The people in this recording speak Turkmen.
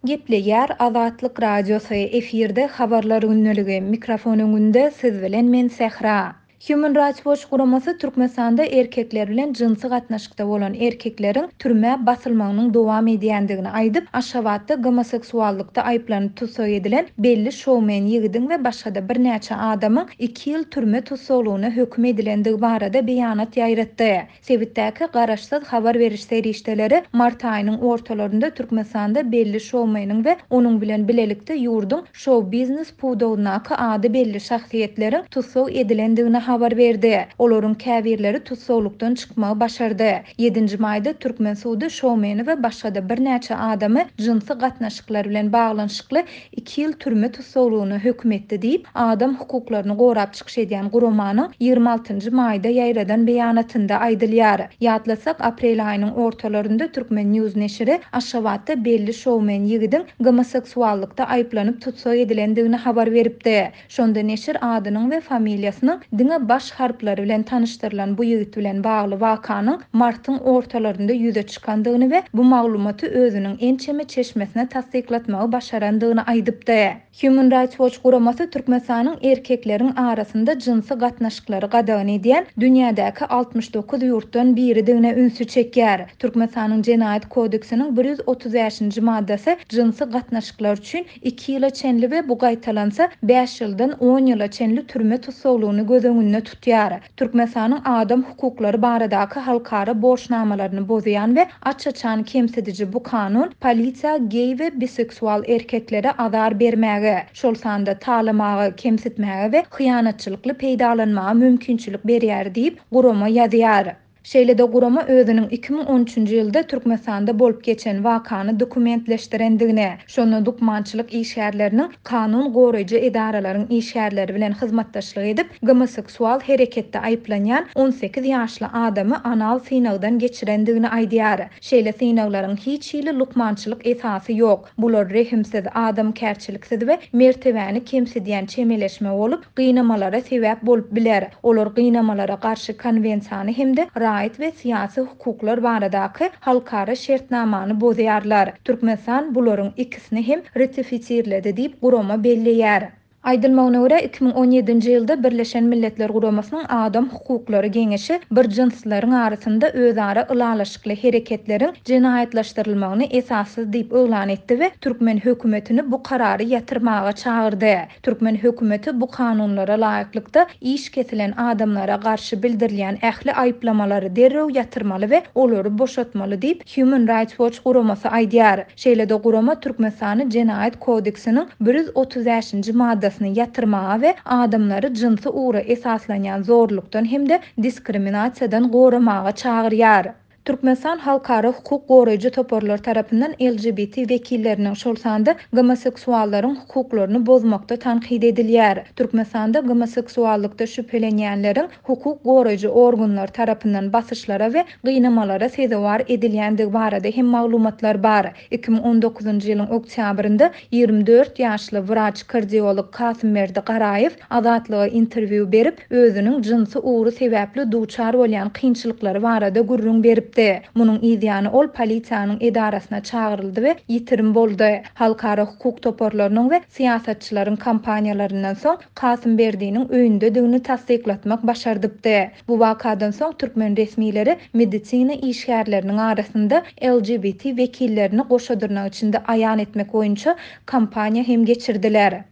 Gepleýär Azatlyk Radiosy, efirde Habarlar gündeligi, mikrofon öňünde siz bilen men Sähra. Human Rights Watch guramasy Türkmenistanda erkekler bilen jynsy gatnaşykda bolan erkekleriň türmä basylmagynyň dowam edýändigini aýdyp, Aşgabatda gomoseksuallykda aýyplanyp tussag edilen belli şoumen ýigidiň we başga-da birnäçe adamyň iki ýyl türme tussaglygyna höküm edilendigi barada beýanat ýaýratdy. Sebitdäki garaşsyz habar beriş serişdeleri mart aýynyň ortalarynda Türkmenistanda belli şoumeniň we onuň bilen bilelikde ýurduň şou-biznes pudagyndaky ady belli şahsyýetleriň tussag edilendigini habar berdi. Olaryň käbirleri tussaglykdan çykmagy başardy. Ýedinji maýda türkmen sudy şoumeni we başga-da birnäçe adamy jynsy gatnaşyklar bilen baglanyşykly iki ýyl türme tussaglygyna höküm etdi diýip, adam hukuklaryny gorap çykyş edýän guramanyň 26 nji maýda ýaýradan beýanatynda aýdylýar. Ýatlasak, aprel aýynyň ortalarynda Turkmen. News neşiri Aşgabatda belli şoumen ýigidiň gomoseksuallykda aýyplanyp tussag edilendigini habar beripdi. Şonda neşir adynyň we familiýasynyň diňe baş harplary bilen tanyşdyrylan bu ýigit bilen bagly wakanyň martyň ortalarynda ýüze çykandygyny we bu maglumaty özüniň ençeme çeşmesine tassyklatmagy başarandygyny aýdypdy. Human Rights Watch guramasy Türkmenistanyň erkekleriň arasynda jynsy gatnaşyklary gadagan edýän dünýädäki 69 ýurtdan biridigine ünsi çekýär. Türkmenistanyň Jenaýat kodeksiniň 135-nji maddasy jynsy gatnaşyklar üçin iki ýyla çenli we bu gaýtalansa, bäş ýyldan on ýyla çenli türme tussaglygyny göz öňünde tutýar. Türkmenistanyň adam hukuklary baradaky halkara borçnamalaryny bozýan we aç-açan kemsidiji bu kanun polisiýa geý we biseksual erkeklere azar bermäge, şol sanda talamaga, kemsitmäge we hyýanatçylykly peýdalanmaga mümkinçilik berýär diýip, gurama ýazýar. Şeýle-de gurama özüniň 2013-nji ýylda Türkmenistanda bolup geçen wakany dokumentleşdirendigini, şonda lukmançylyk işgärleriniň kanun goraýjy edaralaryň işgärleri bilen hyzmatdaşlyk edip, gomoseksual hereketde aýyplanýan 18 ýaşly adamy anal synagdan geçirendigini aýdýar. Şeýle synaglaryň hiç hili lukmançylyk esasy ýok. Bular rehimsiz, adamkärçiliksiz we mertebäni kemsidýän çemeleşme bolup, gynamalara sebäp bolup biler. Olar gynamalara garşy konwensiýany hem-de raýat we syýasy hukuklar baradaky halkara şertnamany bozýarlar. Türkmenistan bularyň ikisini hem ratifisirledi diýip, gurama belleýär. Aýdylmagyna görä, 2017-nji ýylda Birleşen Milletler Guramasynyň Adam hukuklary geňeşi bir jynslylaryň arasynda özara ylalaşykly hereketleriň jenaýatlaşdyrylmagyny esassyz diýip yglan etdi we türkmen hökümetini bu karary ýatyrmaga çagyrdy. Türkmen hökümeti bu kanunlara laýyklykda iş kesilen adamlara garşy bildirilýän ähli aýyplamalary derrew ýatyrmaly we olary boşatmaly diýip, Human Rights Watch guramasy aýdýar. Şeýle-de gurama Türkmenistany Jenaýat kodeksiniň 135-nji maddasyny ýatyrmaga we adamlary jynsy ugra esaslanýan zorlukdan hem-de diskriminasiýadan goramaga çagyrýar. Türkmenistan halkara hukuk goraýjy toparlar tarapyndan LGBT wekilleriniň, şol sanda gomoseksuallaryň hukuklaryny bozmakda tankyt edilýär. Türkmenistanda gomoseksuallykda şübhelenýänleriň hukuk goraýjy organlar tarapyndan basyşlara we gynamalara sezewar edilýändigi barada hem maglumatlar bar. 2019-njy ýylyň oktýabrynda 24 ýaşly wraç-kardiolog Kasymberdi Garaýew Azatlyga interwýu berip, özüniň jynsy ugry sebäpli duçar bolýan kynçylyklary barada gürrüň beripdi. Munuň yzýany ol polisiýanyň edarasyna çagyryldy we ýitirim boldy. Halkara hukuk toparlarynyň we syýasatçylaryň kampaniýalaryndan soň Kasymberdiniň öýündedigini tassyklatmak başardypdy. Bu wakadan soň türkmen resmileri medisina işgärleriniň arasynda LGBT wekillerini goşa dyrnak içinde aýan etmek boýunça kampaniýa hem geçirdiler.